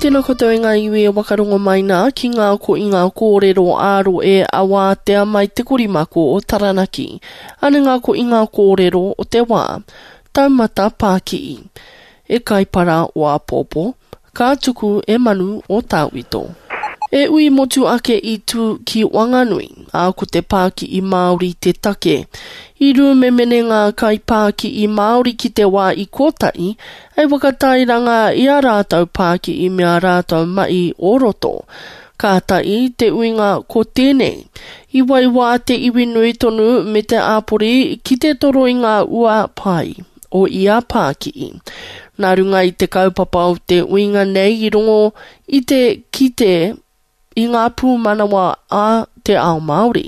Tēnā koutou e ngā iwi e wakarongo mai nā ki ngā ko i ngā kōrero ā-roe a wātea mai te korimako o Taranaki. Ane ngā ko i ngā kōrero o te wā. Taumata pāki'i. E Kaipara o āpōpō, ka tuku e Manu o Tāwito. E ui motu ake i tū ki Wanganui, ā, ko te pāki'i Māori te take. I rūmemene ngā kaipāki'i Māori ki te wā i kotahi hei whakatairanga i ā rātou pāki'i me ā rātou mahi o roto. Kātahi te uinga ko tēnei. I waiwā te iwi nui tonu me te āpori ki te toro i ngā ua pai. o ia pāki'i. Nā runga i te kaupapa o te uinga nei i rongo i te kite i ngā pūmanawa a te ao Māori,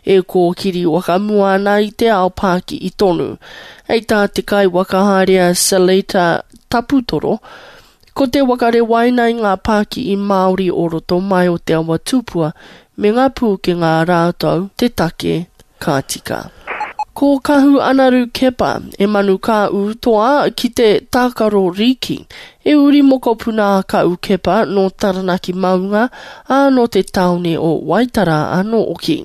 e kōkiri whakamua ana i te ao pāki'i tonu. Hei tā te kaiwhakahaere a Seletar Taputoro, Ko te waka rewaina i ngā pāki'i Māori o roto mai o Te Awa Tupua me ngā pūkenga a rātou te take ka tika. Ko Kahu Anaru Kepa, e manu ka ū toa ki te tākaro rīki, e uri mokopuna a Kahu Kepa nō Taranaki maunga, ā, nō te tāone o Waitara anō hoki.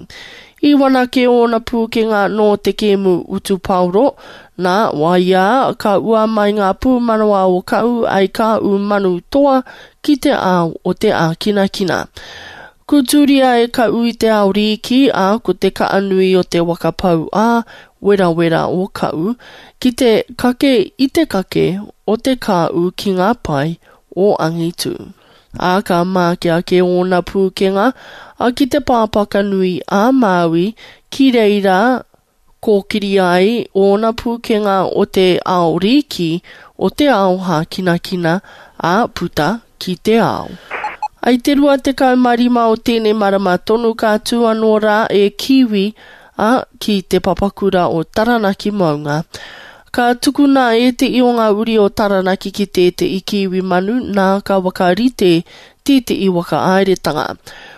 I whanake ōna pūkenga nō te kēmu utu paoro, nā, waiā, ka ua mai ngā pūmanawa o Kahu ai ka ū manu toa ki te ao o te ākinakina. Kūtūria e Kahu i te ao rīki, ā, ko te kaha nui o te waka pau ā, werawera o Kahu, ki te kake i te kake o te kāu ki ngā pae o angitū. Ā, ka māke ake ōna pūkenga, ā, ki te pāpaka nui a Māui, ki reira kōkiri ai ōna pūkenga o te ao rīki, o te ao hākinakina, ā, puta ki te ao. I te 25 o tēnei marama tonu ka tū anō rā e Kiwi, ā, ki te papakura o Taranaki maunga. Ka tukuna e te i o ngā uri o Taranaki ki tētehi kiwi manu, nā ka whakarite tētehi whakahaeretanga.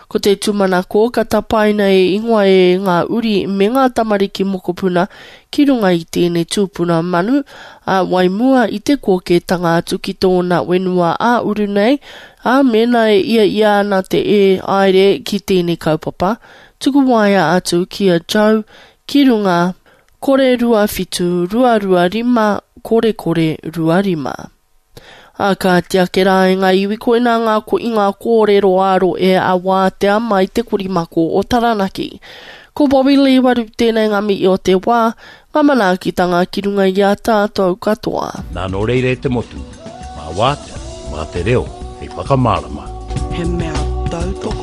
Ko te tūmanako ka tapaina e ingoa e ngā uri me ngā tamariki mokopuna ki runga i tēnei tūpuna manu, ā, wai mua i te kōkētanga atu ki tōna whenua ā-uru nei, ā, mēnā e ia ia ana te e haere ki tēnei kaupapa, tuku waea atu ki a Joe ki runga 0 2 7 2 2 5 kore kore 2 5. Ā, kāti ake rā e ngā iwi koinā ngā ko i ngā kōrero ā-rohe a wātea mai te korimako o Taranaki. Ko Bobby Lee Waru tēnei ngā mihi o te wā, ngā manaakitanga ki runga i a tātou katoa. Nā nō reira e te motu, mā Wātea, mā te reo hei whakamārama. He mea tautoko.